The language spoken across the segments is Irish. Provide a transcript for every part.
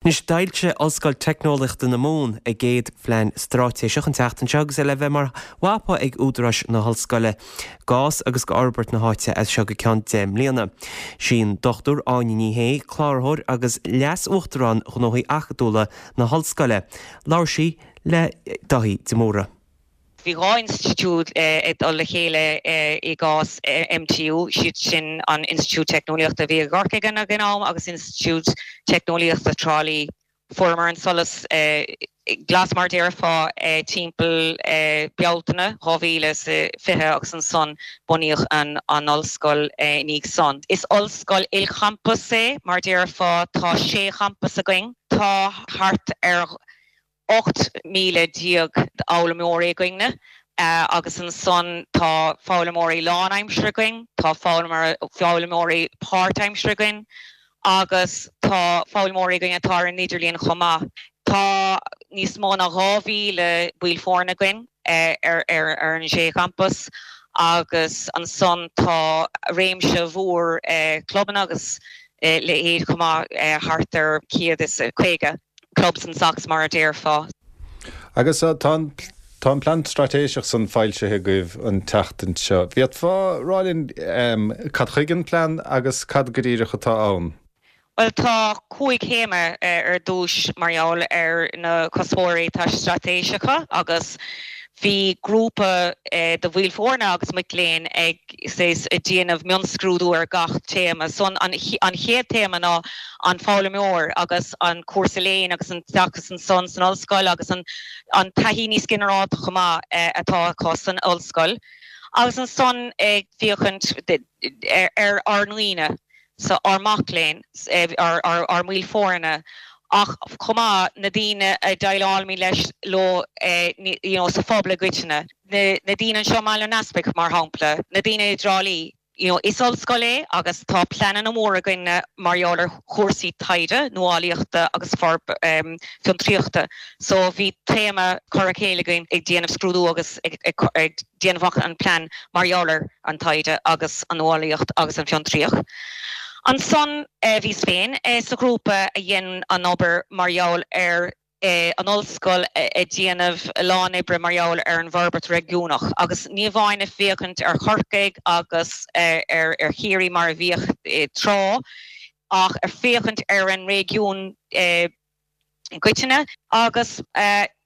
Anois, d'fhoilsigh Ollscoil Teicneolaíochta na Mumhan a gcéad phlean straitéiseach an tseachtain seo agus é le bheith mar mhapa ag údaráis na hollscoile d'fhás agus d'fhorbairt na háite as seo go ceann 10 mbliana. Sí an Dr Áine Ní Shé, Cláraitheoir agus Leas-Uachtarán Ghnóthaí Acadúla na hOllscoile. Labhair sí le Dáithí de Mórdha. Bhí 2 institiúid ag dul le chéile i gcás MTU, siad sin an Institiúid Teicneolaíochta a bhí i gCorcaigh ag an am agus Institiúid Teicneolaíochta Trá Lí. Fuaireamar an solas glas mar a déarfá timpeall Bealtaine 2020 agus ansan bunaíodh an ollscoil ina dhiaidh san. Is ollscoil ilchampas é mar a déarfá, tá sé champas againn. Tá thart ar 18,000 d'fhoghlaimeoirí againne agus ansan tá foghlaimeoirí lánaimseartha againn, tá foghlaimeoirí páirtaimseartha againn agus tá foghlaimeoirí againn atá ar an idirlíon chomh maith. Tá níos mó ná 2,000 baill foirne againn ar an sé champas agus ansan tá réimse mhór clubanna agus leithéid chomh maith, thart ar 150. Clubs and Socs mar a déarfá. Agus tá an tá an plean straitéiseach san foilsithe agaibh an tseachtain seo. Bhféadfá rá linn cad chuige an plean agus cad go díreach atá ann? Bhuel tá 5 théama ar dtúis mar gheall ar na cuspóirí atá straitéiseacha agus bhí grúpa de bhaill foirne agus mic léinn ag saghas ag déanamh mionscrúdú ar gach téama. So an chéad téama ná an foghlaimeoir agus an cúrsa léinn agus an t-oideachas ansan san ollscoil agus an taithí níos ginearálta chomh maith atá acu san ollscoil. Agus ansan ag féachaint ar ár ndaoine, so ár mac léinn, ár mbaill foirne ach chomh maith na daoine a déileálaimid leis, leo you know sa phobal i gcoitinne. Na daoine anseo i mBaile an Easpaig mar shampla, na daoine i dTrá Lí. You know, is ollscoil é agus tá pleananna móra againne mar gheall ar chúrsaí taighde, nuálaíochta agus fiontraíochta. So bhí téama curtha le chéile againn ag déanamh scrúdú agus ag déanamh amach an plean mar gheall ar an taighde agus an nuálaíocht agus an fiontraíocht. Ansan bhíos féin sa ghrúpa a dhein an obair mar gheall ar an ollscoil ag déanamh a lán oibre mar gheall ar an bhforbairt réigiúnach agus ní amháin ag féachaint ar Chorcaigh agus ar Chiarraí mar a bhíodh tráth ach ag féachaint ar an réigiún i gcoitinne. Agus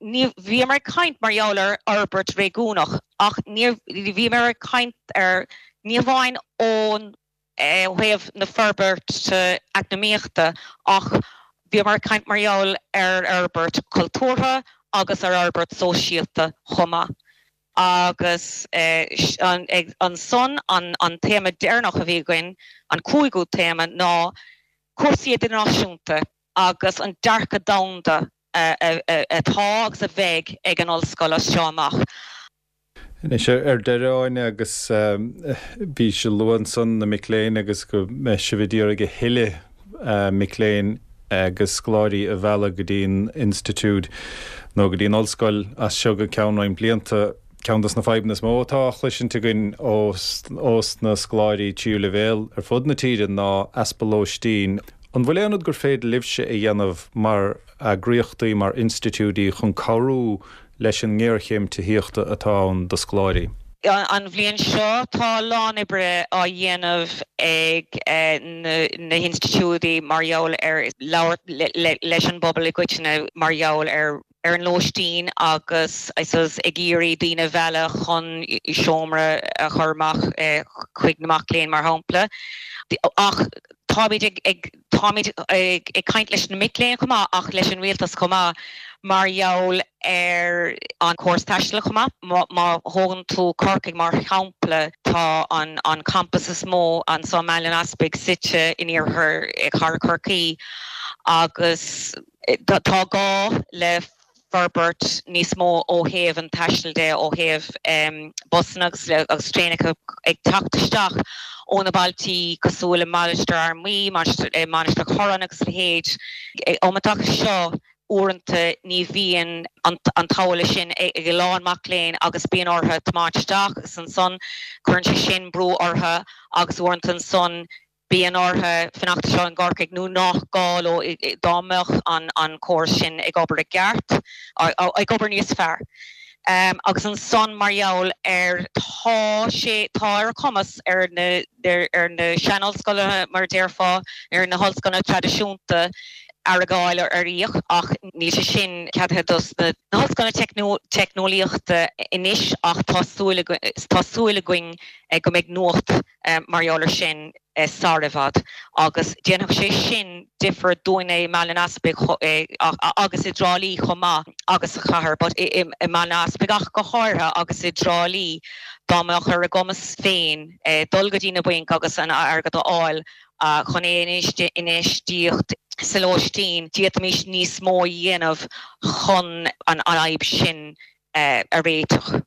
ní, bhíomar ag caint mar gheall ar fhorbairt réigiúnach ach ní, bhíomar ag caint ar, ní hamháin ón ó thaobh na forbairte eacnamaíochta ach bhíomar ag caint mar gheall ar fhorbairt chultúrtha agus ar fhorbairt sóisialta chomh maith. Agus ansan an téama deireanach a bhí againn, an cúigiú téama, ná cúrsaí idirnáisiúnta agus an dearcadh domhanda atá agus a bheidh ag an ollscoil as seo amach. Anois ar deireadh, Áine, agus bhís ag lua ansan na mic léinn agus go mbeidh sibh ag iarraidh a thuilleadh mic léinn agus scoláirí a mhealladh go dtí an institiúid nó go dtí an ollscoil as seo go ceann roinnt blianta. Ceann dos na fadhbanna is mó atá á chloisint againn ós na scoláirí tríú leibhéal ar fud na tíre ná easpa lóistín. An bhfuil aon rud gur féidir libhse a dhéanamh mar eagraíochtaí, mar institiúidí chun cabhrú leis an ngéarchéim tithíochta atá ann do scoláirí. An bhliain seo tá a lán oibre á dhéanamh ag na hinstitiúidí mar gheall ar labhairt leis an bpobal i gcoitinne mar gheall ar ar an lóistín agus I suppose ag iarraidh daoine a mhealladh chun seomra a chur amach chuig na mac léinn mar shampla. Ach táimid ag Táimid ag caint leis na mic léinn chomh maith ach leis an rialtas chomh maith mar gheall ar an córas taistil chomh maith. Má thógann tú Corcaigh mar shampla, tá an campas is mó anseo i mBaile an Easpaig suite in iarthar chathair Chorcaí agus tá gá le forbairt níos mó ó thaobh an taistil de, ó thaobh busanna agus traenacha ag teacht isteach ó na bailtí cosúil le Mainistir Fhear Maí, Mainistir Choráin agus a leithéid. Um an dtaca seo, uaireanta ní bhíonn an t-ualach sin ag a lán mac léinn agus bíonn orthu tiomáint isteach agus ansan cuireann sé sin brú orthu agus uaireanta ansan. Bíonn orthu fanacht anseo i gCorcaigh nó nach gá leo dá mbeadh an córas sin ag obair i gceart, ag obair níos fearr. Agus ansan mar gheall ar, tá sé, tá ar a cumas ar na, ar na sean-ollscoileanna mar a déarfá, ar na hollscoileanna traidisiúnta airgead a fháil ar fhiach ach níl sé sin ceadaithe dos na hollscoileanna teicneolaíochta anois ach tá súil, tá súil againn go mbeidh nuacht mar gheall ar sin sar i bhfad agus déanfadh sé sin difear dúinne i mBaile an Easpaig agus i dTrá Lí chomh maith agus sa chathair but i mBaile an Easpaig ach go háirithe agus i dTrá Lí dá mbeadh ar a gcumas féin dul go dtí na bainc agus an airgead a fháil chun é a infheistíocht sa lóistín, d'fhéadfaimis níos mó a dhéanamh chun an fhadhb sin a réiteach.